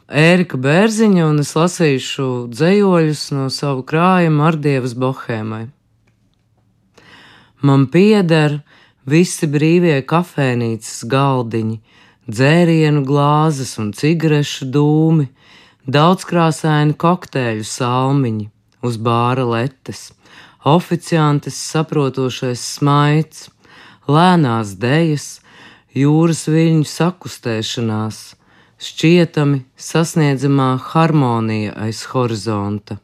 Ērika Bērziņa, un es lasīšu dzejoļus no savu krājuma Ardievas bohēmai. Man pieder visi brīvie kafēnīcas galdiņi, dzērienu glāzes un cigarešu dūmi, daudzkrāsaini kokteļu salmiņi uz bāra letes, oficiantes saprotošais smaids, lēnās dejas, jūras viļņu sakustēšanās, šķietami sasniedzamā harmonija aiz horizonta,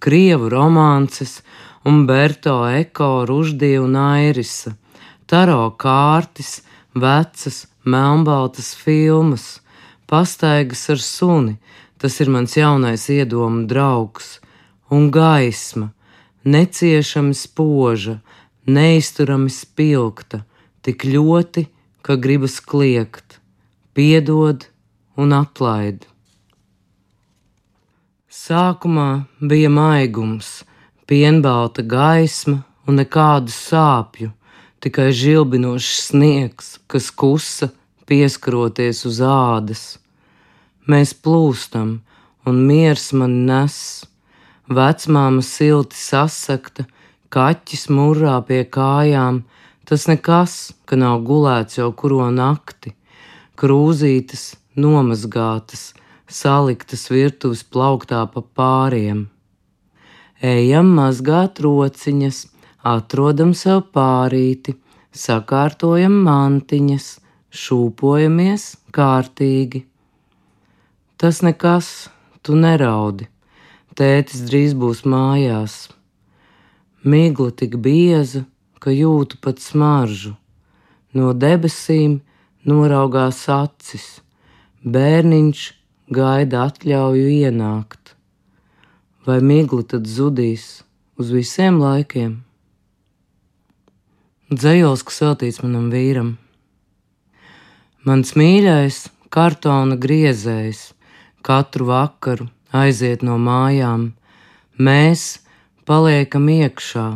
krievu romances un Berto Eko, Ruždija un Airisa, taro kārtis, vecas, melnbaltas filmas, pastaigas ar suni, tas ir mans jaunais iedomu draugs, un gaisma, neciešami spoža, neizturami spilgta, tik ļoti, ka gribas kliegt, piedod un atlaid. Sākumā bija maigums, pienbalta gaisma un nekādu sāpju, tikai žilbinošs sniegs, kas kusa, pieskaroties uz ādas. Mēs plūstam, un miers man nes. Vecmāma silti sasakta, kaķis murrā pie kājām, tas nekas, ka nav gulēts jau kuro nakti. Krūzītes nomazgātas, saliktas virtuves plauktā pa pāriem. Ejam mazgāt rociņas, atrodam sev pārīti, sakārtojam mantiņas, šūpojamies kārtīgi. Tas nekas, tu neraudi, tētis drīz būs mājās. Migla tik bieza, ka jūtu pat smaržu. No debesīm noraugās acis, bērniņš gaida atļauju ienākt. Vai migla tad zudīs uz visiem laikiem? Dzejols, kas veltīts manam vīram. Mans mīļais kartona griezējs katru vakaru aiziet no mājām. Mēs paliekam iekšā,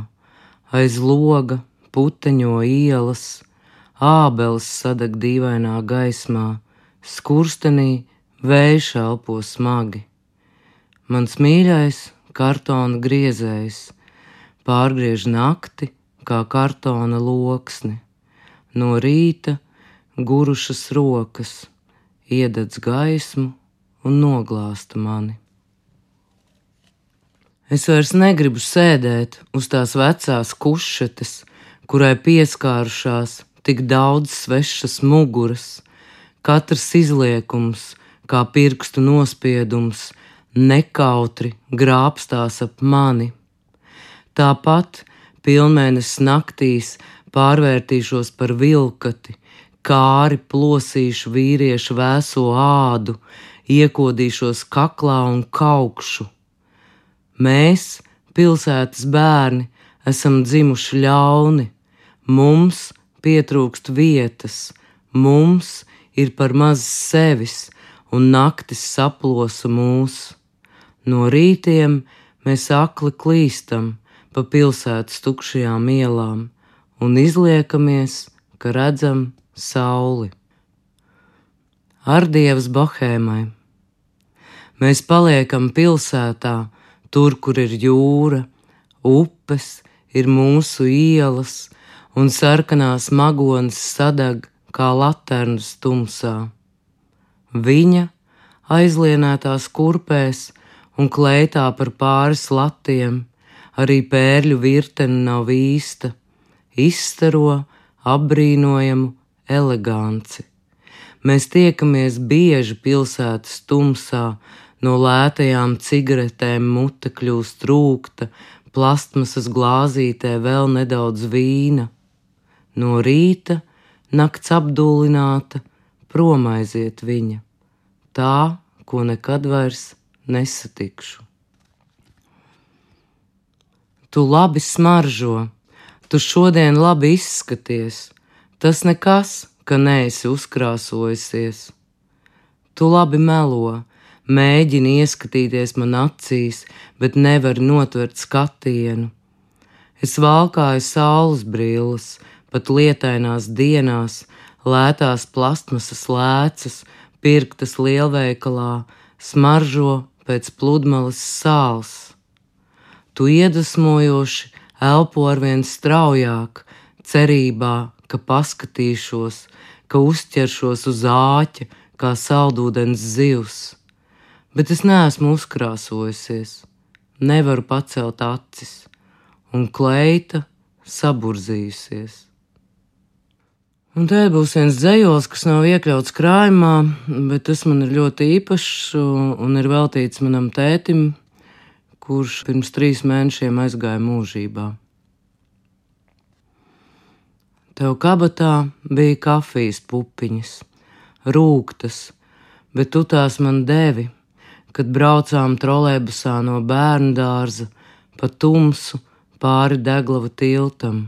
aiz loga puteņo ielas, ābeles sadeg dīvainā gaismā, skurstenī vējš elpo smagi. Mans mīļais kartona griezējs pārgriež nakti kā kartona loksni. No rīta gurušas rokas iededz gaismu un noglāsta mani. Es vairs negribu sēdēt uz tās vecās kušetes, kurai pieskārušās tik daudz svešas muguras, katrs izliekums, kā pirkstu nospiedums, nekautri grābstās ap mani. Tāpat pilnmēnesis naktīs pārvērtīšos par vilkati, kāri plosīšu vīriešu vēso ādu, iekodīšos kaklā un kaukšu. Mēs, pilsētas bērni, esam dzimuši ļauni, mums pietrūkst vietas, mums ir par maz sevis un naktis saplosa mūs. No rītiem mēs akli klīstam pa pilsētas tukšajām ielām un izliekamies, ka redzam sauli. Ardievas bohēmai. Mēs paliekam pilsētā, tur, kur ir jūra, upes, ir mūsu ielas, un sarkanās magonas sadeg kā laternas tumsā. Viņa aizlienētās kurpēs un kleitā par pāris latiem, arī pērļu virtene nav īsta, izstaro apbrīnojamu eleganci. Mēs tiekamies bieži pilsētas tumsā, no lētajām cigaretēm mute kļūst rūgta, plastmasas glāzītē vēl nedaudz vīna. No rīta, nakts apdullināta, prom aiziet viņa, tā, ko nekad vairs nesatikšu. Tu labi smaržo, tu šodien labi izskaties, tas nekas, ka neesi uzkrāsojusies. Tu labi melo, mēģini ieskatīties man acīs, bet nevari notvert skatienu. Es valkāju saules brilles, pat lietainās dienās, lētās plastmasas lēcas, pirktas lielveikalā, smaržo pēc pludmales sāls. Tu iedvesmojoši elpo arvien straujāk, cerībā, ka paskatīšos, ka uzķeršos uz āķa, kā saldūdens zivs. Bet es neesmu uzkrāsojusies, nevaru pacelt acis, un kleita saburzījusies. Un te būs viens dzejols, kas nav iekļauts krājumā, bet tas man ir ļoti īpašs un ir veltīts manam tētim, kurš pirms 3 mēnešiem aizgāja mūžībā. Tev kabatā bija kafijas pupiņas, rūgtas, bet tu tās man devi, kad braucām trolejbusā no bērnu dārza pa tumsu pāri Deglava tiltam.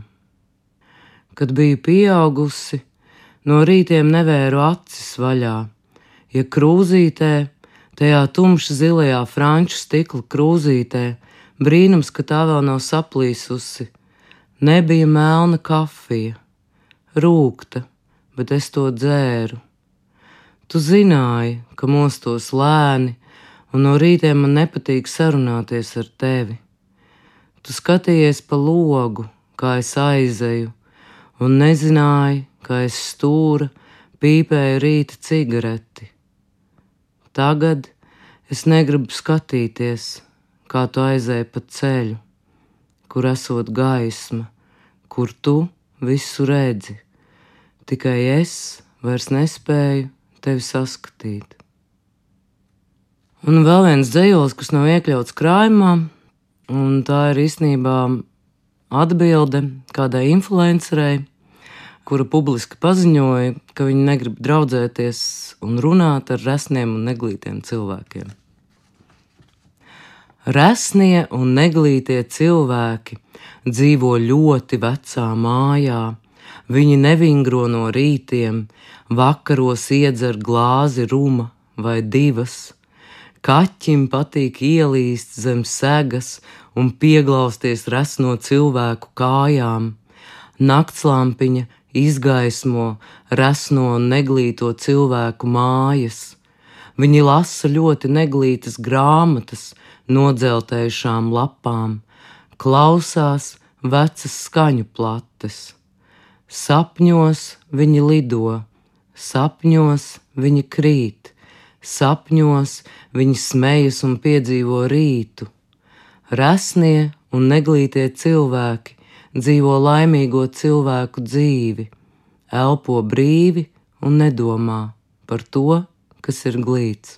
Kad biju pieaugusi, no rītiem nevēru acis vaļā, ja krūzītē, tajā tumši zilajā franču stikla krūzītē, brīnums, ka tā vēl nav saplīsusi, nebija melna kafija, rūgta, bet es to dzēru. Tu zināji, ka mostos lēni, un no rītiem man nepatīk sarunāties ar tevi. Tu skatījies pa logu, kā es aizeju, un nezināji, ka es stūra pīpēju rīta cigareti. Tagad es negribu skatīties, kā tu aizēji pa ceļu, kur esot gaisma, kur tu visu redzi. Tikai es vairs nespēju tevi saskatīt. Un vēl viens dzejols, kas nav iekļauts krājumā, un tā ir īstenībā atbilde kādai influencerei, kura publiski paziņoja, ka viņa negrib draudzēties un runāt ar resniem un neglītiem cilvēkiem. Resnie un neglītie cilvēki dzīvo ļoti vecā mājā, viņi nevingro no rītiem, vakaros iedzer glāzi ruma vai 2, kaķim patīk ielīst zem segas un pieglausties resno cilvēku kājām, naktslampiņa izgaismo resno un neglīto cilvēku mājas. Viņi lasa ļoti neglītas grāmatas nodzeltējušām lapām, klausās vecas skaņu plates. Sapņos viņi lido, sapņos viņi krīt, sapņos viņi smejas un piedzīvo rītu. Resnie un neglītie cilvēki dzīvo laimīgo cilvēku dzīvi, elpo brīvi un nedomā par to, kas ir glīts.